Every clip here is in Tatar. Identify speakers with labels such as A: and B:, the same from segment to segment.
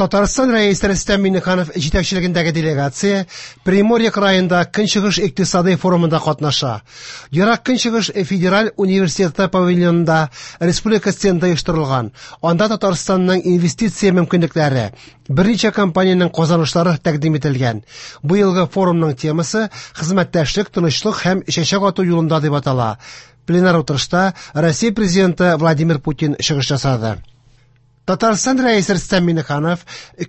A: Татарстан Рәисе Рөстәм Миңнеханов җитәкчелегендәге делегация Приморье краенда Көнчыгыш икътисадый форумында катнаша. Ерак Көнчыгыш федераль университеты павильонында республика стенды оештырылган. Анда Татарстанның инвестиция мөмкинлекләре, берничә компаниянең казанышлары тәкъдим ителгән. Бу елгы форумның темасы «Хезмәттәшлек, тынычлык һәм чәчәк ату юлында» дип атала. Пленар утырышта Россия президенты Владимир Путин чыгыш ясады. Татарстан Рәисе Рөстәм Миңнеханов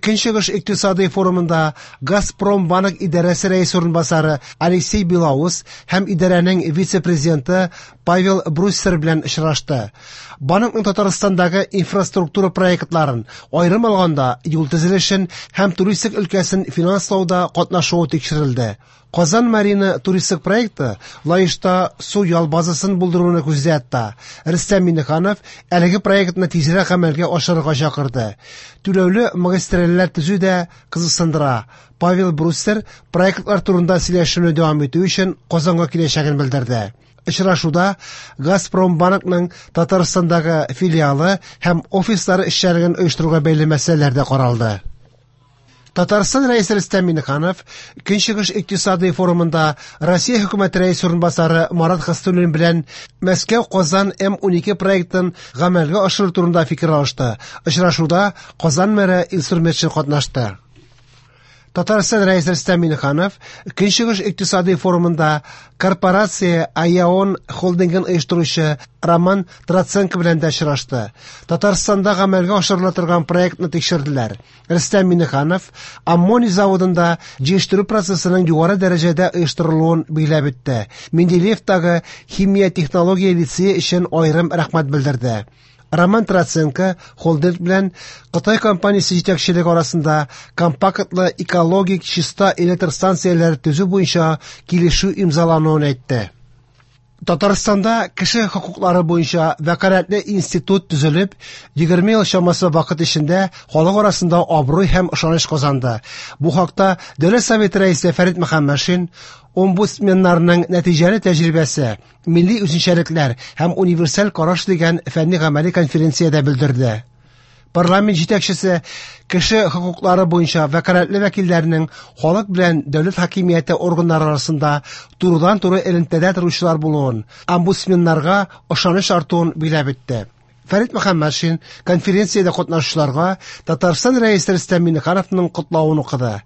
A: Көнчыгыш икътисадый форумында Газпромбанк идарәсе рәисе урынбасары Алексей Белоус һәм идарәнең вице-президенты Павел Бруссер белән очрашты. Банкның Татарстандагы инфраструктура проектларын, аерым алганда юл төзелешен һәм туристик өлкәсен финанслауда катнашуы тикшерелде. Казан Марина туристик проекты Лаешта су ял базасын булдыруны күздә тота. Рөстәм Миңнеханов әлеге проектны тизрәк гамәлгә ашырырга чакырды. Түләүле магистральләр төзү дә кызыксындыра. Павел Бруссер проектлар турында сөйләшүне дәвам итү өчен Казанга киләчәген белдерде. Очрашуда Газпромбанкның Татарстандагы филиалы һәм офислары эшчәнлеген оештыруга бәйле мәсьәләләр дә каралды. Татарстан Рәисе Рөстәм Миңнеханов Көнчыгыш икътисадый форумында Россия хөкүмәте рәисе урынбасары Марат Хөснуллин белән Мәскәү-Казан М12 проектын гамәлгә ашыру турында фикер алышты. Очрашуда Казан мэры Илсур Метшин катнашты. Татарстан Рәисе Рөстәм Миңнеханов Көнчыгыш икътисадый форумында корпорация Аяон холдингын оештыручы Роман Троценко белән дә очрашты. Татарстанда гамәлгә ашырыла торган проектны тикшерделәр. Рөстәм Миңнеханов аммоний заводында җыештыру процессының югары дәрәҗәдә оештырылуын билгеләп үтте. Менделеевтагы химия технология лицее өчен аерым рәхмәт белдерде. Роман Троценко холдинг белән Кытай компаниясе җитәкчелеге арасында компактлы экологик чиста электр станцияләре төзү буенча килешү имзалануын әйтте. Татарстанда кеше хокуклары буенча вәкаләтле институт төзелеп, 20 ел чамасы вакыт эчендә халык арасында абруй һәм ышаныч казанды. Бу хакта Дәүләт Советы рәисе Фәрит Мөхәммәтшин омбудсменнарның нәтиҗәле тәҗрибәсе, милли үзенчәлекләр һәм универсаль караш дигән фәнни-гамәли конференциядә белдерде. Парламент җитәкчесе кеше хокуклары буенча вәкаләтле вәкилләрнең халык белән дәүләт хакимияте органнары арасында турыдан-туры элемтәдә торучылар булуын, омбудсменнарга ышаныч артуын билгеләп үтте. Фәрит Мөхәммәтшин конференциядә катнашучыларга Татарстан Рәисе Рөстәм Миңнехановның котлавын укыды.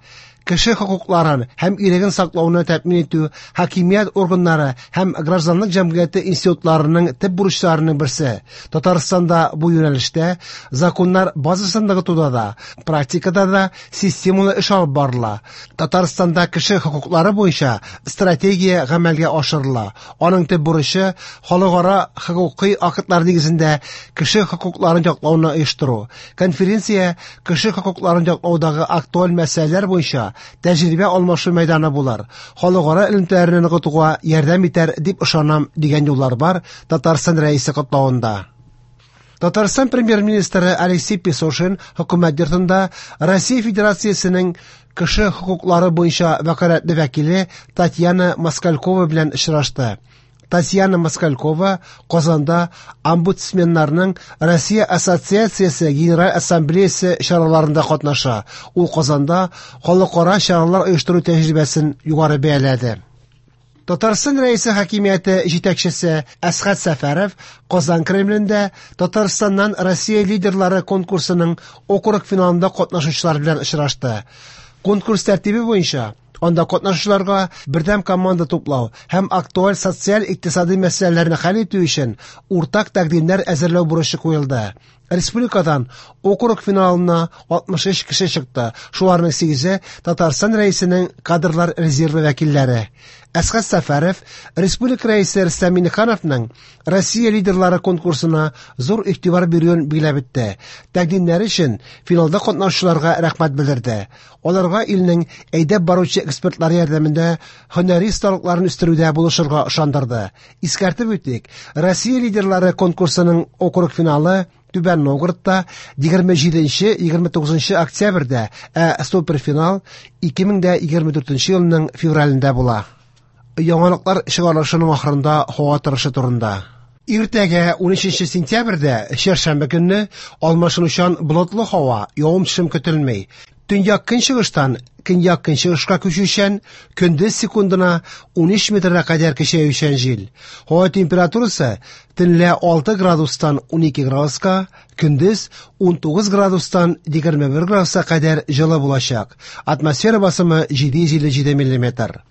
A: Кеше хокукларын һәм иреген саклауны тәэмин итү хакимият органнары һәм гражданлык җәмгыяте институтларының төп бурычларының берсе. Татарстанда бу юнәлештә законнар базасын ныгытуда да, практикада да системалы эш алып барыла. Татарстанда кеше хокуклары буенча стратегия гамәлгә ашырыла. Аның төп бурычы халыкара хокукый актлар нигезендә кеше хокукларын яклауны оештыру. Конференция кеше хокукларын яклаудагы актуаль мәсьәләләр буенча тәҗрибә алмашу мәйданы булыр. Халыкара элемтәләрне ныгытуга ярдәм итәр дип ышанам дигән юллар бар Татарстан Рәисе котлавында. Татарстан премьер-министры Алексей Песошин хөкүмәт йортында Россия Федерациясенең кеше хокуклары буенча вәкаләтле вәкиле Татьяна Москалькова белән очрашты. Татьяна Москалькова Казанда омбудсменнарның Россия Ассоциациясе Генераль Ассамблеясы чараларында катнаша. Ул Казанда халыкара чаралар оештыру тәҗрибәсен югары бәяләде. Татарстан Рәисе хакимияте җитәкчесе Әсхәт Сәфәров Казан Кремлендә Татарстаннан Россия лидерлары конкурсының округ финалында катнашучылар белән очрашты. Конкурс тәртибе буенча анда катнашучыларга бердәм команда туплау һәм актуаль социаль-икътисади мәсьәләләрне хәл итү өчен уртак тәкъдимнәр әзерләү бурычы куелды. Республикадан округ финалына 63 кеше чыкты. Шуларның 8-е Татарстан Рәисенең кадрлар резервы вәкилләре. Әсхәт Сәфәров Республика Рәисе Рөстәм Миңнехановның Россия лидерлары конкурсына зур игътибар бирүен билгеләп үтте. Тәкъдимнәре өчен финалда катнашучыларга рәхмәт белдерде. Аларга илнең әйдәп баручы экспертлары ярдәмендә һөнәри осталыкларын үстерүдә булышырга ышандырды. Искәртеп үтик, Россия лидерлары конкурсының округ финалы Түбән Новгородта 27-29 октябрьдә, ә суперфинал 2024 елның февралендә була. Яңалыклар чыгарылышының ахырында һава торышы турында. Иртәгә 13 сентябрьдә, чәршәмбе көнне, алмашынучан болытлы һава, явым-төшем көтелми. Төньяк-көнчыгыштан көньяк-көнчыгышка күчүчән, көндез секундына 13 метрга кадәр көчәючән җил. Һава температурасы төнлә 6 градустан 12 градуска, көндез 19 градустан 21 градуска кадәр җылы булачак. Атмосфера басымы 757 миллиметр.